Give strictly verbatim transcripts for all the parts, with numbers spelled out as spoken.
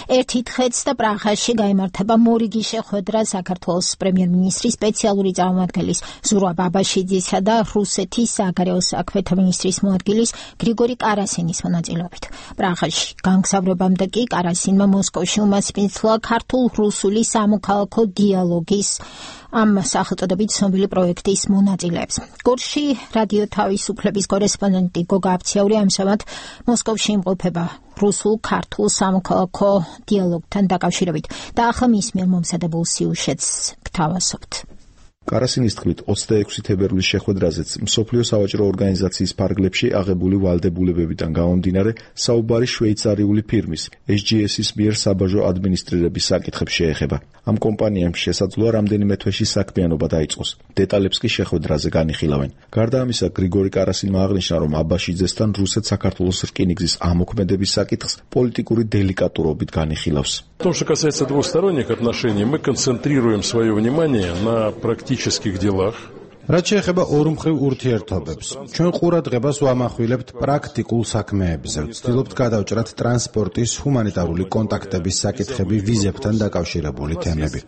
ერთი დღეც და პრაღაში გაიმართება მორიგი შეხვედრა საქართველოს პრემიერ-მინისტრის სპეციალური წარმომადგენლის ზურაბ ბაბაშიძისა და რუსეთის საგარეო საქმეთა მინისტრის მოადგილის გრიგორი კარასინის მონაწილეობით. პრაღაში განგზავრებამდე კი კარასინმა მოსკოვში უმასპინძლა ქართულ-რუსული სამოქალაქო დიალოგის ამ სახელწოდებით ცნობილი პროექტის მონაწილეებს. გორში რადიო თავისუფლების კორესპონდენტი გოგა აფციური ამჟამად მოსკოვში იმყოფება რუსულ-ქართულ სამოქალაქო დიალოგთან დაკავშირებით და ახლა მის მიერ მომზადებულ სიუჟეტს გთავაზობთ. კარასინის თქმით, ოცდაექვსი თებერვლის შეხვედრაზეც მსოფლიო სავაჭრო ორგანიზაციის ფარგლებში აღებული ვალდებულებებიდან გამომდინარე საუბარი შვეიცარიული ფირმის ეის ჯი ეს-ის მიერ საბაჟო ადმინისტრირების საკითხებს შეეხება. ამ კომპანიამ შესაძლოა რამდენიმე თვეში საქმიანობა დაიწყოს. დეტალებს კი შეხვედრაზე განიხილავენ. гарда ამისა, გრიგორი карасинმა აღნიშნა, რომ აბაშიძესთან რუსეთ-საქართველოს რკინიგზის ამოქმედების საკითხს პოლიტიკური დელიკატურობით განიხილავს. В том, что касается двусторонних отношений, мы концентрируем свое внимание на практических делах. რაც შეეხება ორმხრივ ურთიერთობებს, ჩვენ ყურადღებას ვამახვილებთ პრაქტიკულ საქმეებზე. ვცდილობთ გადავჭრათ ტრანსპორტის, ჰუმანიტარული კონტაქტების საკითხები, ვიზებთან დაკავშირებული თემები.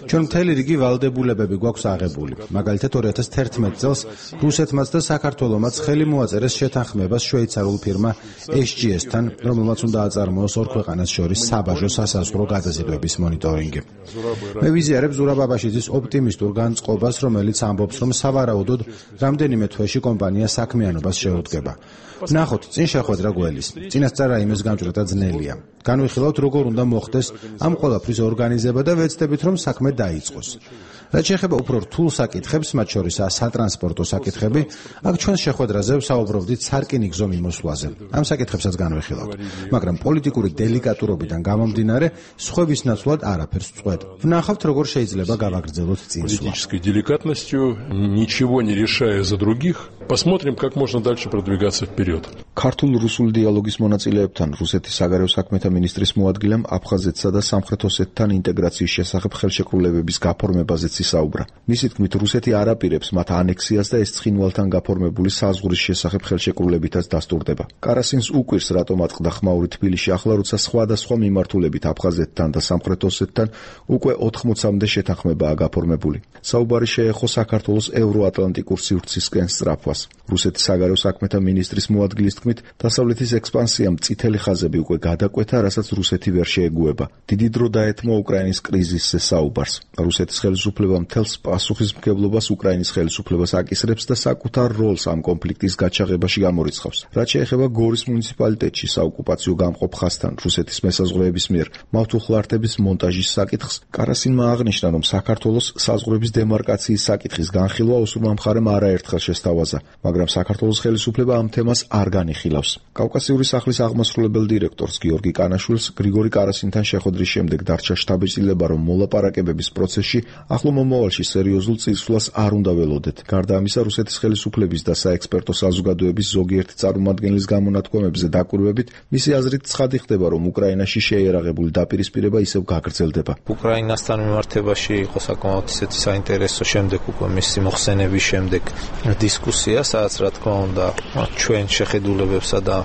ჩვენ მთელი რიგი ვალდებულებები გვაქვს აღებული. მაგალითად, ორი ათას თერთმეტ წელს რუსეთმაც და საქართველომაც ხელი მოაწერეს შეთანხმებას შვეიცარულ ფირმა ეის ჯი ეს-თან, რომელმაც უნდა აწარმოოს ორ ქვეყანას შორის საბაჟო სასაზღვრო გადაზიდვების მონიტორინგი. მე ვიზიარებ ზურაბ ბაბაშიძის ოპტიმისტურ განწყობას, რომელიც ამბობს, რომ სავარაუდოდ რამდენიმე თვეში კომპანია საქმიანობას შეუდგება. ნახოთ, წინ შეხვედრა გველის. წინასწარ იმის გამჭრედა ძნელია. განვიხილავთ, როგორ უნდა მოხდეს ამ ყველაფრის ორგანიზება და ვეცდებით, რომ საქმე დაიწყოს. რაც შეეხება უფრო რთულ საკითხებს, მათ შორისაა სატრანსპორტო საკითხები, აქ ჩვენ შეხვედრაზე ვსაუბრობდით სარკინიგზო მიმოსვლაზე. ამ საკითხებსაც განვიხილავთ, მაგრამ პოლიტიკური დელიკატურობიდან გამომდინარე, სხვების ნაცვლად არაფერს ვწყვეტ. ვნახავთ, როგორ შეიძლება გავაგრძელოთ წინსვლა. Политической деликатностью, ничего не решая за других, посмотрим, как можно дальше продвигаться вперед. ქართულ-რუსულ დიალოგის მონაწილეებთან რუსეთის საგარეო საქმეთა მინისტრის მოადგილემ აფხაზეთსა და სამხრეთ ოსეთთან ინტეგრაციის შესახებ ხელშეკრულებების გაფორმებაზეც ისაუბრა. მისი თქმით, რუსეთი არ აპირებს მათ ანექსიას და ეს ცხინვალთან გაფორმებული საზღვრის შესახებ ხელშეკრულებითაც დასტურდება. კარასინს უკვირს, რატომ ატყდა ხმაური თბილისში ახლა, როცა სხვადასხვა მიმართულებით აფხაზეთთან და სამხრეთ ოსეთთან უკვე ოთხმოცამდე შეთანხმებაა გაფორმებული. საუბარი შეეხო საქართველოს ევროატლანტიკურ სივრცისკენ სწრაფვას. რუსეთის საგარეო საქმეთა მინისტრის მოადგილის თქმით, დასავლეთის ექსპანსიამ წითელი ხაზები უკვე გადაკვეთა, რასაც რუსეთი ვერ შეეგუება. დიდი დრო დაეთმო უკრაინის კრიზისზე საუბარს. რუსეთის ხელისუფლება მთელს პასუხისმგებლობას უკრაინის ხელისუფლებას აკისრებს და საკუთარ როლს ამ კონფლიქტის გაჩაღებაში გამორიცხავს. რაც შეეხება გორის მუნიციპალიტეტში საოკუპაციო გამყოფ ხაზთან რუსეთის მესაზღვრეების მიერ მავთულხლართების მონტაჟის საკითხს, კარასინმა აღნიშნა, რომ საქართველოს საზღვრების დემარკაციის საკითხის განხილვა ოსურმა მხარემ არაერთხელ შესთავაზა, მაგრამ საქართველოს ხელისუფლება ამ თემას არ განიხილავს. კავკასიური სახლის აღმასრულებელ დირექტორს გიორგი კანაშვილს გრიგორი კარასინთან შეხვედრის შემდეგ დარჩა შთაბეჭდილება, რომ მოლაპარაკებების პროცესში ახლო მომავალში სერიოზულ წინსვლას არ უნდა ველოდეთ. გარდა ამისა, რუსეთის ხელისუფლების და საექსპერტო საზოგადოების ზოგიერთი წარმომადგენლის გამონათქვამებზე დაკვირვებით, მისი აზრით ცხადი ხდება, რომ უკრაინაში შეიარაღებული დაპირისპირება ისევ გაგრძელდება. უკრაინასთან მიმართებაში იყო საკმაოდ ისეთი საინტერესო შემდეგ უკვე მისი მოხსენების შემდეგ დისკუსია, სადაც რა თქმა უნდა ჩვენ შეხედულებებსა და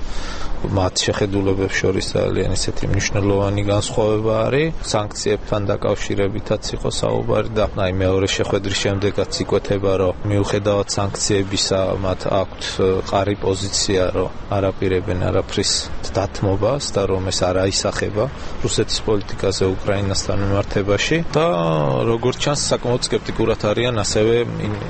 მათ შეხედულებებს შორის ძალიან ისეთი მნიშვნელოვანი განსხვავება არის. სანქციებთან დაკავშირებითაც იყო საუბარი და აი მეორე შეხვედრის შემდეგაც იკვეთება, რომ მიუხედავად სანქციებისა მათ აქვთ ყარი პოზიცია, რომ არაპირებენ არაფრის დათმობას და რომ ეს არ აისახება რუსეთის პოლიტიკაზე უკრაინასთან მიმართებაში და როგორც ჩანს საკმაოდ სკეპტიკურად არიან ასევე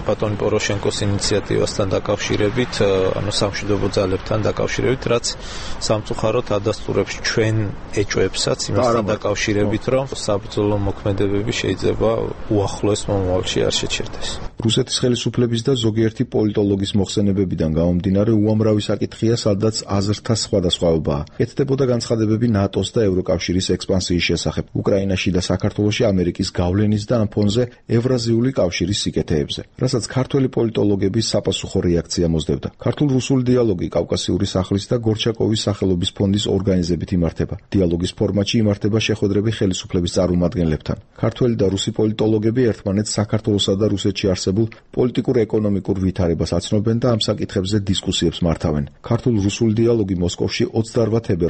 ბატონ პოროშენკოს ინიციატივასთან დაკავშირებით, ანუ სამშვიდობო ძალებთან დაკავშირებით, რაც სამწუხაროდ ადასტურებს ჩვენ ეჭვებსაც იმასთან დაკავშირებით, რომ საბრძოლო მოქმედებები შეიძლება უახლოეს მომავალში არ შეჩერდეს. რუსეთის ხელისუფლების და ზოგიერთი პოლიტოლოგის მოხსენებებიდან გამომდინარე, უამრავი საკითხია, სადაც აზრთა სხვადასხვაობაა. კეთდებოდა განცხადებები ნატოს და ევროკავშირის ექსპანსიის შესახებ, უკრაინაში და საქართველოში ამერიკის გავლენის და ამ ფონზე ევრაზიული კავშირის სიკეთეებზე, რასაც ქართველი პოლიტოლოგების საპასუხო რეაქცია მოსდევდა. ქართულ-რუსული დიალოგი კავკასიური სახლის და გორჩაკოვის სახელობის ფონდის ორგანიზებით იმართება. დიალოგის ფორმატში იმართება შეხვედრები ხელისუფლების წარმომადგენლებთან. ქართველი და რუსი პოლიტოლოგები ერთმანეთს საქართველოსა და რუსეთში არსებულ პოლიტიკურ-ეკონომიკურ ვითარებას აცნობენ და ამ საკითხებზე დისკუსიებს მართავენ. ქართულ-რუსული დიალოგი მოსკოვში ოცდაორ თებერვალს